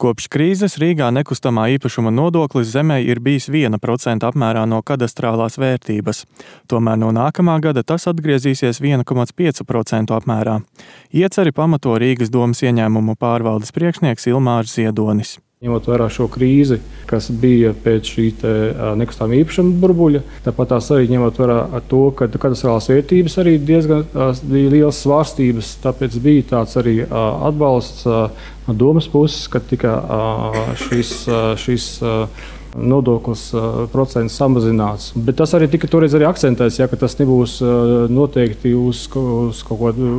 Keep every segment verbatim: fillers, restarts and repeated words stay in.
Kopš krīzes Rīgā nekustamā īpašuma nodoklis zemē ir bijis viena procenta apmērā no kadastrālās vērtības. Tomēr no nākamā gada tas atgriezīsies viena komats pieci procenti apmērā. Ieceri pamato Rīgas domas ieņēmumu pārvaldes priekšnieks Ilmārs Ziedonis. Ņemot vērā šo krīzi, kas bija pēc šī nekustamā īpašuma burbuļa, tāpat tās arī ņemot vērā to, ka kadastrālās vērtības arī diezgan bija liels svārstības, tāpēc bija tāds arī atbalsts no domas puses, ka tika šis, šis nodoklis procents samazināts. Bet tas arī tika toreiz arī akcentēts, ja, ka tas nebūs noteikti uz, uz kaut kādu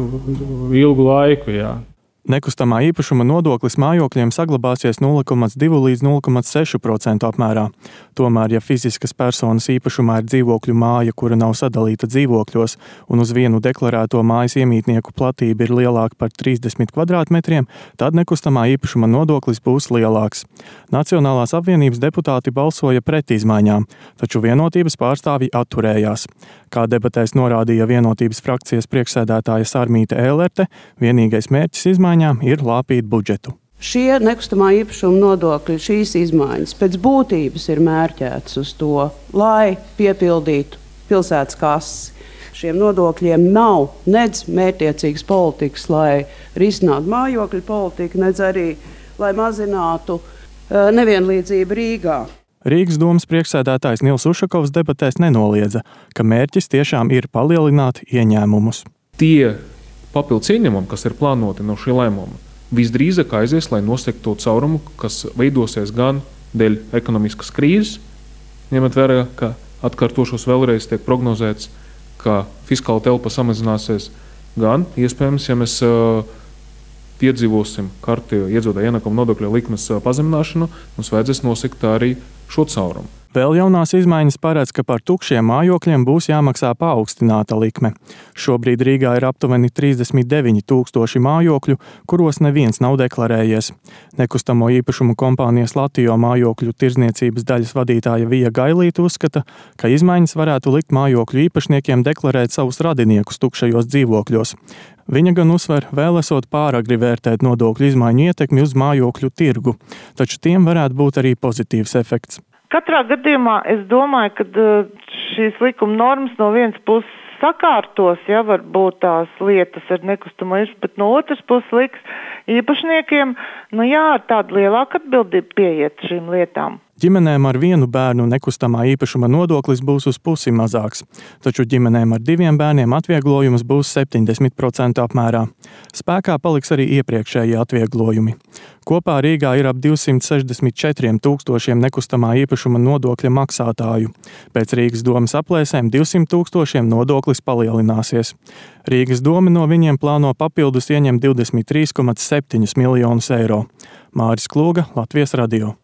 ilgu laiku. Ja. Nekustamā īpašuma nodoklis mājokļiem saglabāsies nulle komats divi līdz nulle komats seši procenti apmērā. Tomēr, ja fiziskas personas īpašumā ir dzīvokļu māja, kura nav sadalīta dzīvokļos, un uz vienu deklarēto mājas iemītnieku platība ir lielāka par trīsdesmit kvadrātmetriem, tad nekustamā īpašuma nodoklis būs lielāks. Nacionālās apvienības deputāti balsoja pret izmaiņām, taču Vienotības pārstāvji atturējās. Kā debatēs norādīja Vienotības frakcijas priekšsēdētāja Sarmīte Ēlerte, vienīgais mērķis izmaiņām ir lāpīt budžetu. Šie nekustamā īpašuma nodokļi, šīs izmaiņas pēc būtības ir mērķētas uz to, lai piepildītu pilsētas kases. Šiem nodokļiem nav nedz mērķtiecīgas politikas, lai risinātu mājokļu politiku, nedz arī, lai mazinātu uh, nevienlīdzību Rīgā. Rīgas domas priekšsēdētājs Nils Ušakovs debatēs nenoliedza, ka mērķis tiešām ir palielināt ieņēmumus. Tie papildus ieņēmumi, kas ir plānoti no šī lēmuma, visdrīzāk aizies, lai nosektu to caurumu, kas veidosies gan dēļ ekonomiskas krīzes, ņemot vērā, ka atkārtošos vēlreiz tiek prognozēts, ka fiskāla telpa samazināsies, gan iespējams, ja mēs uh, piedzīvosim kārtējo iedzīvotāju ienākumu nodokļu likmes pazemināšanu, mums vajadzēs nosekt arī šo caurumu. Vēl jaunās izmaiņas paredz, ka par tukšiem mājokļiem būs jāmaksā paaugstināta likme. Šobrīd Rīgā ir aptuveni trīsdesmit deviņi tūkstoši mājokļu, kuros neviens nav deklarējies. Nekustamo īpašumu kompānijas Latio mājokļu tirdzniecības daļas vadītāja Vija Gailīte uzskata, ka izmaiņas varētu likt mājokļu īpašniekiem deklarēt savus radiniekus tukšajos dzīvokļos. Viņa gan uzsver, vēl esot pāragri vērtēt nodokļu izmaiņu ietekmi uz mājokļu tirgu, taču tiem varētu būt arī pozitīvs efekts. Katrā gadījumā es domāju, ka šīs likuma normas no vienas puses sakārtos, ja varbūt tās lietas ar nekustamo īpašumu, bet no otras puses liks īpašniekiem, nu jā, ar tādu lielāku atbildību pieiet šīm lietām. Ģimenēm ar vienu bērnu nekustamā īpašuma nodoklis būs uz pusi mazāks, taču ģimenēm ar diviem bērniem atvieglojums būs septiņdesmit procenti apmērā. Spēkā paliks arī iepriekšējie atvieglojumi. Kopā Rīgā ir ap divsimt sešdesmit četriem tūkstošiem nekustamā īpašuma nodokļa maksātāju. Pēc Rīgas domas aplēsēm divsimt tūkstošiem nodoklis palielināsies. Rīgas doma no viņiem plāno papildus ieņemt divdesmit trīs komats septiņi miljonus eiro. Māris Klūga, Latvijas radio.